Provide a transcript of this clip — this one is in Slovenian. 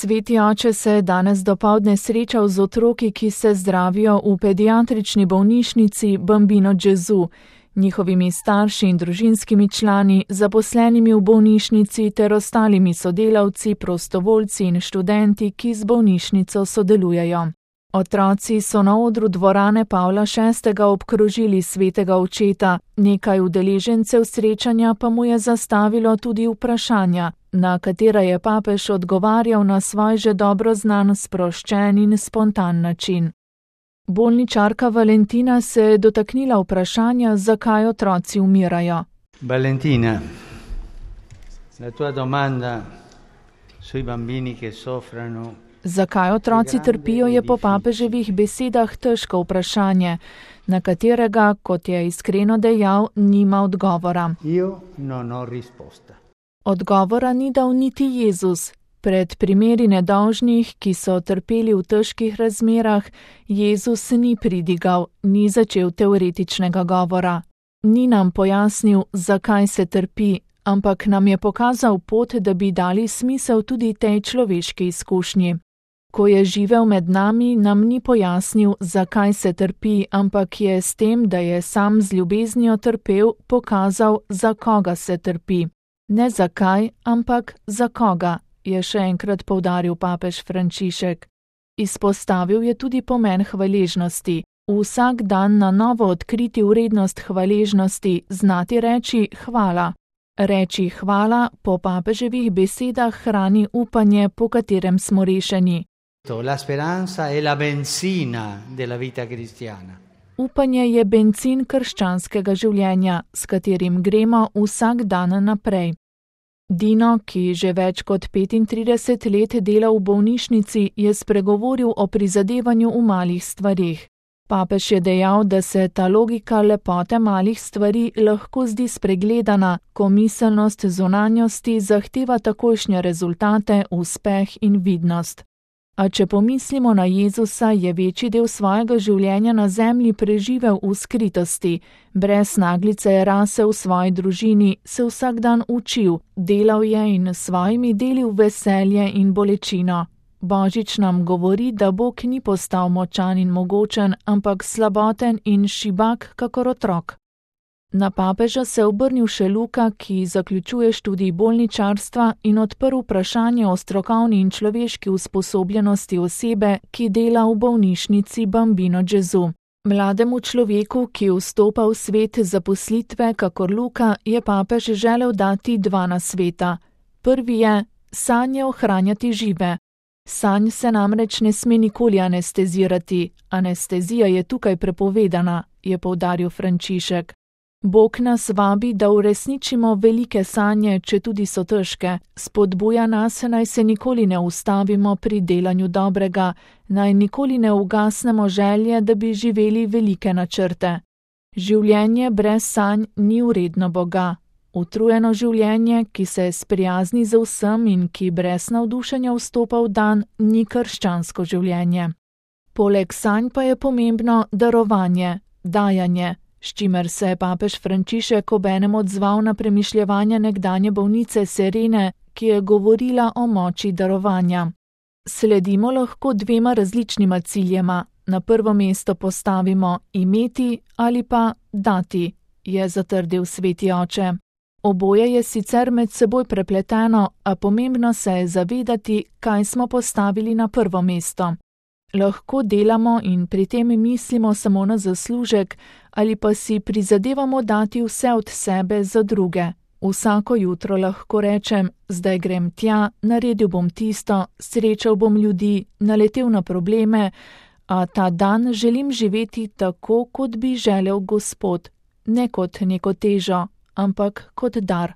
Sveti oče se je danes dopoldne srečal z otroki, ki se zdravijo v pediatrični bolnišnici Bambino Gesù, njihovimi starši in družinskimi člani, zaposlenimi v bolnišnici ter ostalimi sodelavci, prostovoljci in študenti, ki z bolnišnico sodelujejo. Otroci so na odru dvorane Pavla VI. Obkrožili svetega očeta, nekaj udeležencev srečanja pa mu je zastavilo tudi vprašanja, na katera je papež odgovarjal na svoj že dobro znan, sproščen in spontan način. Bolničarka Valentina se je dotaknila vprašanja, zakaj otroci umirajo. Valentina, la tua domanda sui bambini che soffrono. Zakaj otroci trpijo, je po papeževih besedah težko vprašanje, na katerega, kot je iskreno dejal, nima odgovora. Odgovora ni dal niti Jezus. Pred primeri nedolžnih, ki so trpeli v težkih razmerah, Jezus ni pridigal, ni začel teoretičnega govora. Ni nam pojasnil, zakaj se trpi, ampak nam je pokazal pot, da bi dali smisel tudi tej človeški izkušnji. Ko je živel med nami, nam ni pojasnil, zakaj se trpi, ampak je s tem, da je sam z ljubeznijo trpel, pokazal, za koga se trpi. Ne zakaj, ampak za koga, je še enkrat poudaril papež Frančišek. Izpostavil je tudi pomen hvaležnosti. Vsak dan na novo odkriti vrednost hvaležnosti, znati reči hvala. Reči hvala po papeževih besedah hrani upanje, po katerem smo rešeni. La speranza è la benzina della vita cristiana. Upanje je bencin krščanskega življenja, s katerim gremo vsak dan naprej. Dino, ki že več kot 35 let dela v bolnišnici, je spregovoril o prizadevanju v malih stvarih. Papež je dejal, da se ta logika lepote malih stvari lahko zdi spregledana, ko miselnost zunanjosti zahteva takojšnje rezultate, uspeh in vidnost. A če pomislimo na Jezusa, je večji del svojega življenja na zemlji preživel v skritosti. Brez naglice je rasel v svoji družini, se vsak dan učil, delal je in s svojimi delil veselje in bolečino. Božič nam govori, da Bog ni postal močan in mogočen, ampak slaboten in šibak kakor otrok. Na papeža se je obrnil še Luka, ki zaključuje študij bolničarstva in odprl vprašanje o strokovni in človeški usposobljenosti osebe, ki dela v bolnišnici Bambino Gesù. Mlademu človeku, ki vstopa v svet zaposlitve kakor Luka, je papež želel dati dva nasveta. Prvi je: sanje ohranjati žive. Sanj se namreč ne sme nikoli anestezirati. Anestezija je tukaj prepovedana, je poudaril Frančišek. Bog nas vabi, da uresničimo velike sanje, če tudi so težke. Spodbuja nas, naj se nikoli ne ustavimo pri delanju dobrega, naj nikoli ne ugasnemo želje, da bi živeli velike načrte. Življenje brez sanj ni vredno Boga. Utrujeno življenje, ki se sprijazni z vsem in ki brez navdušenja vstopa v dan, ni krščansko življenje. Poleg sanj pa je pomembno darovanje, dajanje, s čimer se je papež Frančišek obenem odzval na premišljevanja nekdanje bolnice Serene, ki je govorila o moči darovanja. Sledimo lahko dvema različnima ciljema. Na prvo mesto postavimo imeti ali pa dati, je zatrdil sveti oče. Oboje je sicer med seboj prepleteno, a pomembno se je zavedati, kaj smo postavili na prvo mesto. Lahko delamo in pri tem mislimo samo na zaslužek ali pa si prizadevamo dati vse od sebe za druge. Vsako jutro lahko rečem, zdaj grem tja, naredil bom tisto, srečal bom ljudi, naletel na probleme, a ta dan želim živeti tako, kot bi želel Gospod, ne kot neko težo, ampak kot dar.